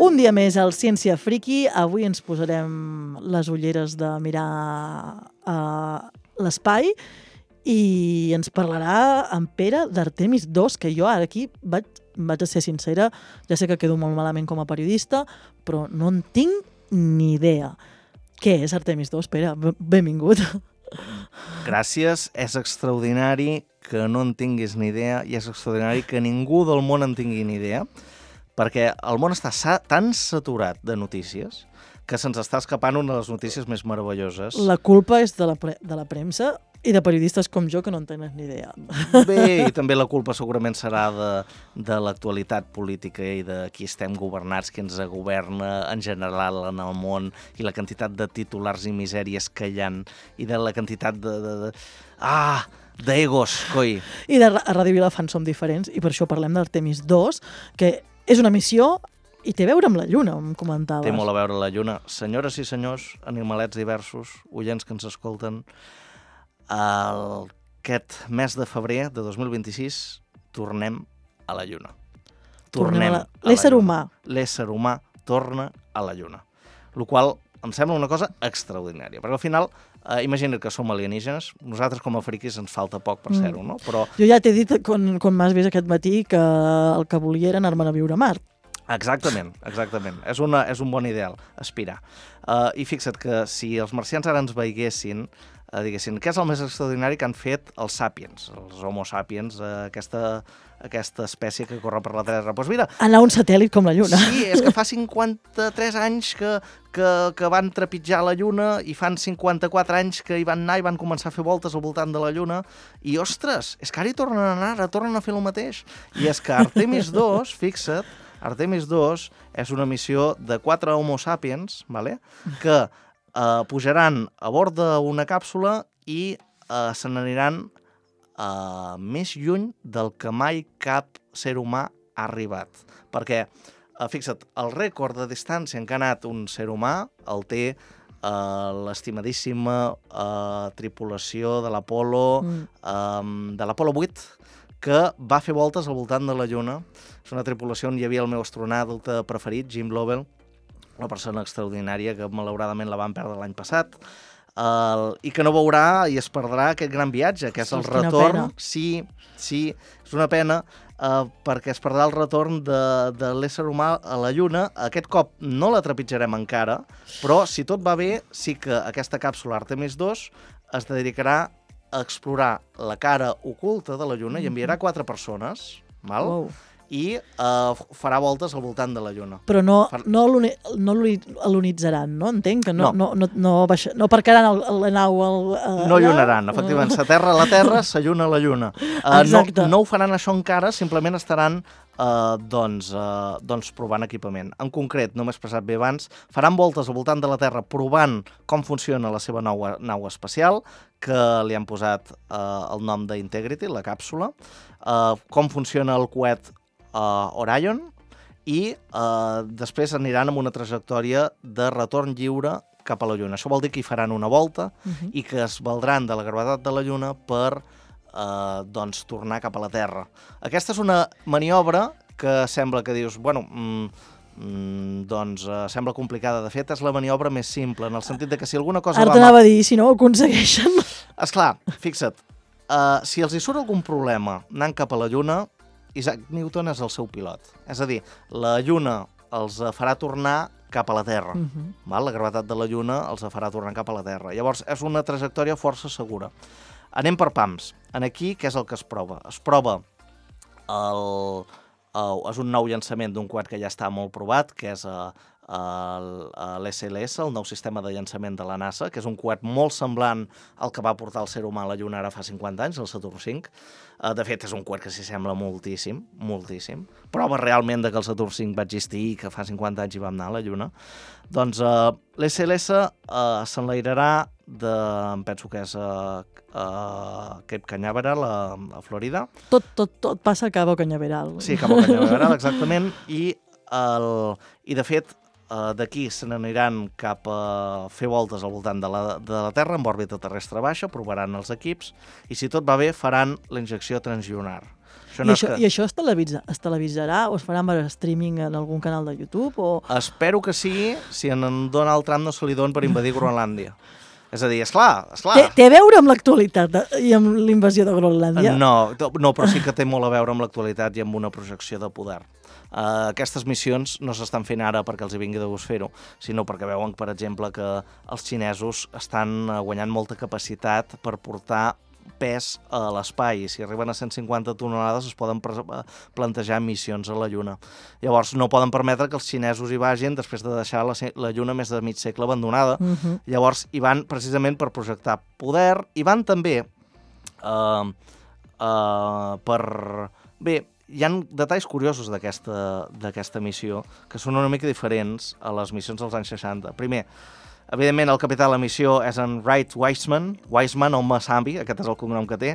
Un dia més al Ciència Friki. Avui ens posarem les ulleres de mirar l'espai i ens parlarà en Pere d'Artemis 2, que jo ara aquí vaig a ser sincera, ja sé que quedo molt malament com a periodista, però no en tinc ni idea. Què és Artemis 2, Pere? Benvingut. Gràcies, és extraordinari que no en tinguis ni idea i és extraordinari que ningú del món en tingui ni idea, perquè el món està tan saturat de notícies que se'ns està escapant una de les notícies més meravelloses. La culpa és de la premsa i de periodistes com jo que no en tenen ni idea. Bé, i també la culpa segurament serà de l'actualitat política i de qui estem governats, qui ens governa en general en el món, i la quantitat de titulars i misèries que hi ha, i de la quantitat d'egos, coi. I a Ràdio Vilafant som diferents, i per això parlem d'Artemis 2, que és una missió i té a veure amb la Lluna, em comentaves. Té molt a veure la Lluna. Senyores i senyors, animalets diversos, oients que ens escolten, aquest mes de febrer de 2026 tornem a la Lluna. L'ésser humà. L'ésser humà torna a la Lluna. El qual em sembla una cosa extraordinària, perquè al final, imagina't que som alienígenes, nosaltres com a friquis ens falta poc per ser-ho, no? Però... Jo ja t'he dit, quan m'has vist aquest matí, que el que volia era anar-me'n a viure a Mart. Exactament. És un bon ideal, aspirar. I fixa't que si els marcians ara ens veiessin, diguessin, què és el més extraordinari que han fet els sapiens, els homo sapiens, aquesta espècie que corre per la Terra? Doncs mira... Anar a un satèl·lit com la Lluna. Sí, és que fa 53 anys que van trepitjar la Lluna i fan 54 anys que hi van anar i van començar a fer voltes al voltant de la Lluna i, ostres, és que ara hi tornen a anar, ara tornen a fer el mateix. I és que Artemis 2, fixa't, Artemis 2 és una missió de 4 homo sapiens, vale? Que pujaran a bord d'una càpsula i se n'aniran més lluny del que mai cap ser humà ha arribat. Perquè, fixa't, el rècord de distància en què ha anat un ser humà el té l'estimadíssima tripulació de l'Apolo, de l'Apolo 8, que va fer voltes al voltant de la Lluna. És una tripulació on hi havia el meu astronauta preferit, Jim Lovell, una persona extraordinària que malauradament la van perdre l'any passat, i que no veurà i es perdrà aquest gran viatge, que és el retorn. Sí, és una pena, perquè es perdrà el retorn de l'ésser humà a la Lluna. Aquest cop no la trepitjarem encara, però si tot va bé, sí que aquesta càpsula Artemis 2 es dedicarà a explorar la cara oculta de la Lluna i enviarà 4 persones, val? Wow. I farà voltes al voltant de la Lluna. Però no alunitzaran, no? Entenc que no aparcaran la nau... No llunaran, efectivament. S'aterra a la Terra, s'alluna a la Lluna. No ho faran això encara, simplement estaran provant equipament. En concret, no m'he expressat bé abans, faran voltes al voltant de la Terra provant com funciona la seva nau espacial, que li han posat el nom d'Integrity, la càpsula, com funciona el coet Orion, i després aniran amb una trajectòria de retorn lliure cap a la Lluna. Això vol dir que hi faran una volta i que es valdran de la gravetat de la Lluna per tornar cap a la Terra. Aquesta és una maniobra que sembla que dius, sembla complicada. De fet, és la maniobra més simple, en el sentit de que si alguna cosa... Ara t'anava a dir, si no ho aconsegueixen... Esclar, fixa't, si els hi surt algun problema anant cap a la Lluna, Isaac Newton és el seu pilot. És a dir, la Lluna els farà tornar cap a la Terra. La gravetat de la Lluna els farà tornar cap a la Terra. Llavors, és una trajectòria força segura. Anem per pams. Aquí, què és el que es prova? Es prova és un nou llançament d'un coet que ja està molt provat, que és l'SLS, el nou sistema de llançament de la NASA, que és un coet molt semblant al que va portar el ser humà a la Lluna ara fa 50 anys, el Saturn V. De fet, és un coet que s'hi sembla moltíssim, moltíssim. Prova realment que el Saturn V va existir i que fa 50 anys hi vam anar a la Lluna. Doncs l'SLS s'enlairarà em penso que és Cape Canaveral, a Florida. Tot passa a Cabo Cañaveral. Sí, Cabo Cañaveral, exactament. I de fet, d'aquí se n'aniran cap a fer voltes al voltant de la Terra, amb òrbita terrestre baixa, provaran els equips, i si tot va bé faran la injecció translunar. I això es televisarà o es farà per streaming en algun canal de YouTube? Espero que sí, si en Donald Trump no se li don per invadir Groenlàndia. És a dir, esclar. Té a veure amb l'actualitat i amb l'invasió de Groenlàndia? No, però sí que té molt a veure amb l'actualitat i amb una projecció de poder. Aquestes missions no s'estan fent ara perquè els hi vingui de gust fer-ho, sinó perquè veuen, per exemple, que els xinesos estan guanyant molta capacitat per portar pes a l'espai. Si arriben a 150 tonelades es poden plantejar missions a la Lluna. Llavors no poden permetre que els xinesos hi vagin després de deixar la Lluna més de mig segle abandonada. Llavors hi van precisament per projectar poder, i van també Bé, hi ha detalls curiosos d'aquesta missió que són una mica diferents a les missions dels anys 60. Primer, evidentment, el capità de la missió és en Wright Wiseman o Masambi, aquest és el cognom que té,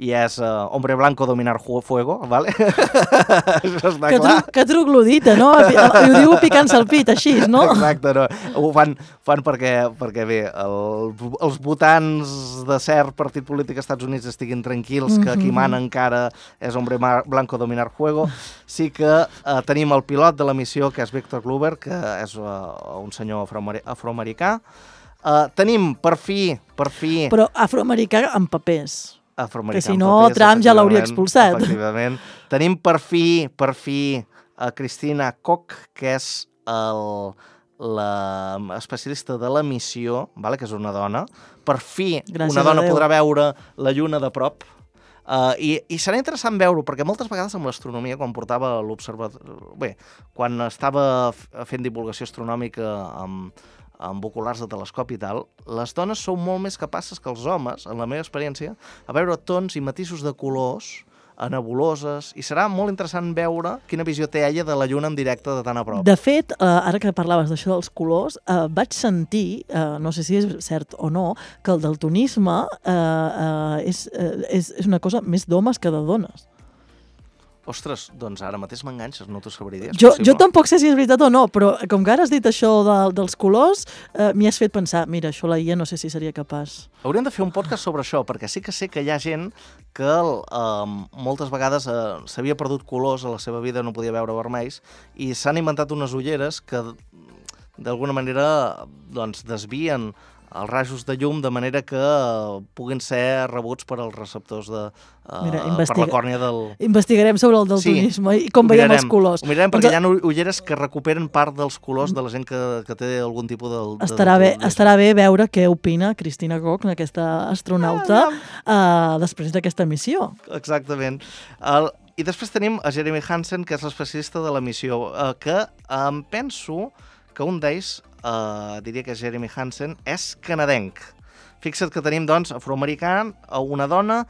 i és hombre blanco dominar fuego, ¿vale? Això està clar. Que troglodita, no? I ho diu picant-se el pit, així, no? Exacte, no. Ho fan perquè bé, els votants de cert partit polític als Estats Units estiguin tranquils, que qui mana encara és hombre blanco dominar fuego. Sí que tenim el pilot de la missió, que és Victor Glover, que és un senyor afroamericà. Tenim, per fi... Però afroamericà amb papers. Que si no, Trump ja l'hauria expulsat. Efectivament. Tenim per fi a Christina Koch, que és l'especialista de la missió, que és una dona. Per fi una dona podrà veure la Lluna de prop. I serà interessant veure-ho, perquè moltes vegades amb l'astronomia, quan portava l'observatori... quan estava fent divulgació astronòmica amb oculars de telescopi i tal, les dones són molt més capaces que els homes, en la meva experiència, a veure tons i matisos de colors a nebuloses, i serà molt interessant veure quina visió té ella de la Lluna en directe de tan a prop. De fet, ara que parlaves d'això dels colors, vaig sentir, no sé si és cert o no, que el daltonisme és una cosa més d'homes que de dones. Ostres, doncs ara mateix m'enganxes, no t'ho sabria dir. Jo tampoc sé si és veritat o no, però com que ara has dit això dels colors, m'hi has fet pensar, mira, això la IA no sé si seria capaç. Hauríem de fer un podcast sobre això, perquè sí que sé que hi ha gent que moltes vegades s'havia perdut colors a la seva vida, no podia veure vermells, i s'han inventat unes ulleres que d'alguna manera desvien els rajos de llum de manera que puguin ser rebuts per als receptors per la còrnia del... Investigarem sobre el daltonisme i com veiem els colors. Ho mirarem perquè hi ha ulleres que recuperen part dels colors de la gent que té algun tipus de... Estarà bé veure què opina Christina Koch, aquesta astronauta, després d'aquesta missió. Exactament. I després tenim a Jeremy Hansen, que és l'especialista de la missió, que em penso que un d'ells, diria que és Jeremy Hansen, és canadenc. Fixa't que tenim, doncs, afroamericà, una dona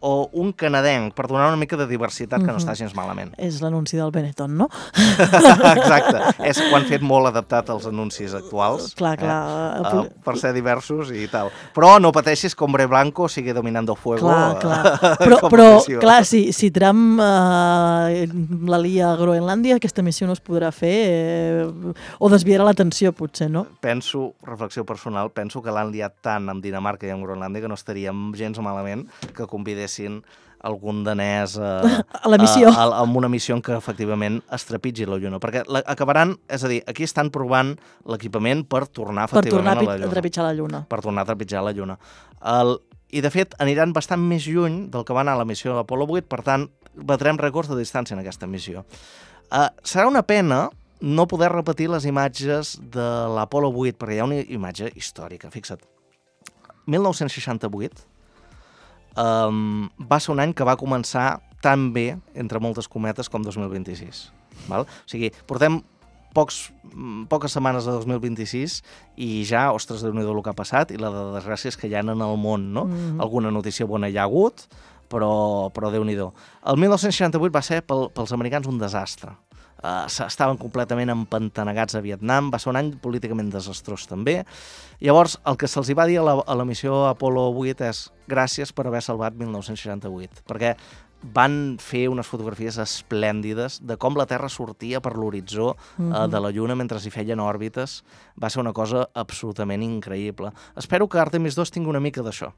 o un canadenc, per donar una mica de diversitat que no està gens malament. És l'anunci del Benetton, no? Exacte. Ho han fet molt adaptat als anuncis actuals. Clar. Per ser diversos i tal. Però no pateixis que hombre blanco sigui dominando fuego. Però clar, si Trump la lia a Groenlàndia, aquesta missió no es podrà fer o desviarà l'atenció, potser, no? Reflexió personal, penso que l'han liat tant amb Dinamarca i amb Groenlàndia que no estaríem gens malament que convidessin algun danès a la missió. Amb una missió que efectivament es trepitgi la Lluna. Perquè acabaran, és a dir, aquí estan provant l'equipament per tornar efectivament a la Lluna. Per tornar a trepitjar la Lluna. Per tornar a trepitjar la Lluna. I de fet aniran bastant més lluny del que va anar a la missió de l'Apollo 8, per tant batrem rècords de distància en aquesta missió. Serà una pena no poder repetir les imatges de l'Apollo 8, perquè hi ha una imatge històrica, fixa't. 1968 va ser un any que va començar tan bé, entre moltes cometes, com 2026. Val? O sigui, portem poques setmanes de 2026 i ja, ostres, Déu-n'hi-do el que ha passat i la de desgràcies que hi ha en el món, no? Alguna notícia bona hi ha hagut, però Déu-n'hi-do. El 1968 va ser pels americans un desastre. Estaven completament empantanegats a Vietnam, va ser un any políticament desastrós també. Llavors, el que se'ls va dir a la missió Apollo 8 és gràcies per haver salvat 1968, perquè van fer unes fotografies esplèndides de com la Terra sortia per l'horitzó de la Lluna mentre hi feien òrbites. Va ser una cosa absolutament increïble. Espero que Artemis 2 tingui una mica d'això.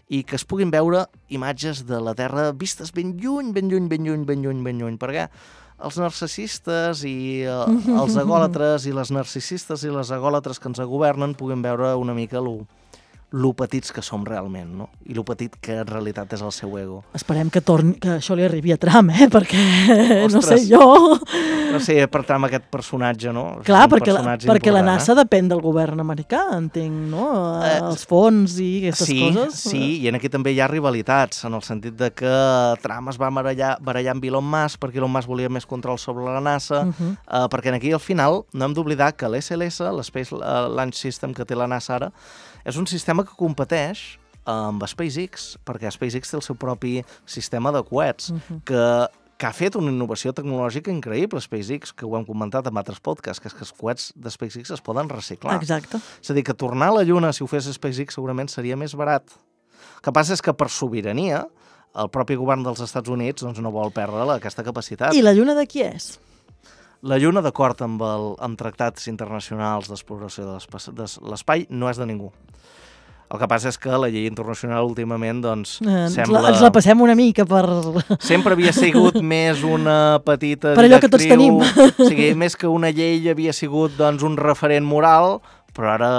I que es puguin veure imatges de la Terra vistes ben lluny, perquè els narcisistes i els egòlatres i les narcisistes i les egòlatres que ens governen puguin veure una mica lo petits que som realment, no? I lo petit que en realitat és el seu ego. Esperem que això li arribi a Trump, perquè Ostres, no sé jo... No sé, per Trump aquest personatge, no? Clar, perquè la NASA depèn del govern americà, entenc, no? Els fons i aquestes coses. Sí, i aquí també hi ha rivalitats, en el sentit de que Trump es va barallar amb Elon Musk perquè Elon Musk volia més control sobre la NASA, perquè aquí al final no hem d'oblidar que l'SLS, l'Space Launch System que té la NASA ara, és un sistema que competeix amb SpaceX, perquè SpaceX té el seu propi sistema de coets, que ha fet una innovació tecnològica increïble, SpaceX, que ho hem comentat en altres podcasts, que és que els coets de SpaceX es poden reciclar. Exacte. És a dir, que tornar a la Lluna, si ho fes SpaceX, segurament seria més barat. El que passa és que per sobirania, el propi govern dels Estats Units doncs, no vol perdre aquesta capacitat. I la Lluna de qui és? La Lluna, d'acord amb tractats internacionals d'exploració de l'espai, no és de ningú. El que passa és que la llei internacional últimament doncs, sembla... Ens la passem una mica per... Sempre havia sigut més una petita per allò que tots tenim. O sigui, més que una llei havia sigut doncs, un referent moral, però ara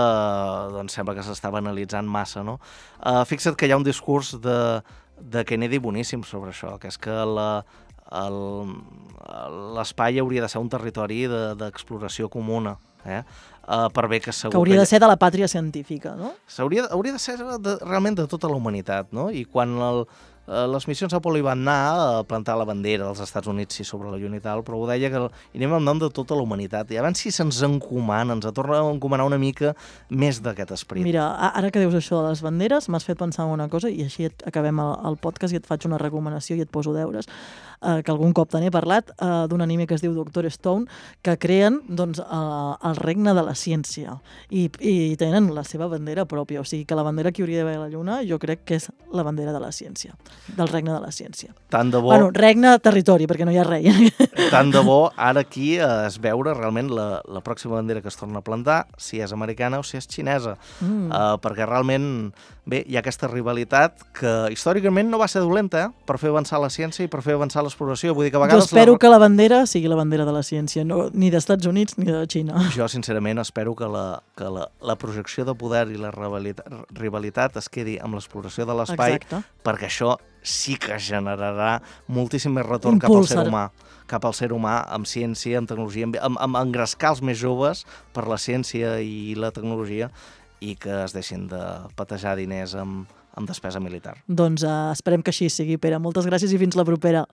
doncs, sembla que s'estava analitzant massa. No? Fixa't que hi ha un discurs de Kennedy boníssim sobre això, que és que l'espai hauria de ser un territori d'exploració comuna, per bé que segur que hauria de ser de la pàtria científica, no? Hauria de ser realment de tota la humanitat, no? I quan les missions Apollo hi van anar a plantar la bandera dels Estats Units sobre la Lluna i tal, però ho deia que anem en nom de tota la humanitat. I abans si se'ns encomana, ens torna a encomanar una mica més d'aquest esperit. Mira, ara que dius això de les banderes, m'has fet pensar en una cosa i així acabem el podcast i et faig una recomanació i et poso deures, que algun cop te n'he parlat, d'un anime que es diu Doctor Stone, que creen doncs, el regne de la ciència i tenen la seva bandera pròpia, o sigui que la bandera que hauria d'haver a la Lluna jo crec que és la bandera de la ciència, del regne de la ciència. Tant de bo... Bueno, regne, territori, perquè no hi ha rei. Tant de bo ara aquí es veure realment la pròxima bandera que es torna a plantar, si és americana o si és xinesa, perquè realment, bé, hi ha aquesta rivalitat que històricament no va ser dolenta, per fer avançar la ciència i per fer avançar l'exploració. Vull dir que a vegades... Jo espero que la bandera sigui la bandera de la ciència, no, ni dels Estats Units ni de Xina. Jo, sincerament, espero que la projecció de poder i la rivalitat es quedi amb l'exploració de l'espai, perquè això sí que generarà moltíssim més retorn cap al ser humà, amb ciència, amb tecnologia, amb engrescar els més joves per la ciència i la tecnologia i que es deixin de patejar diners amb despesa militar. Doncs esperem que així sigui, Pere. Moltes gràcies i fins la propera.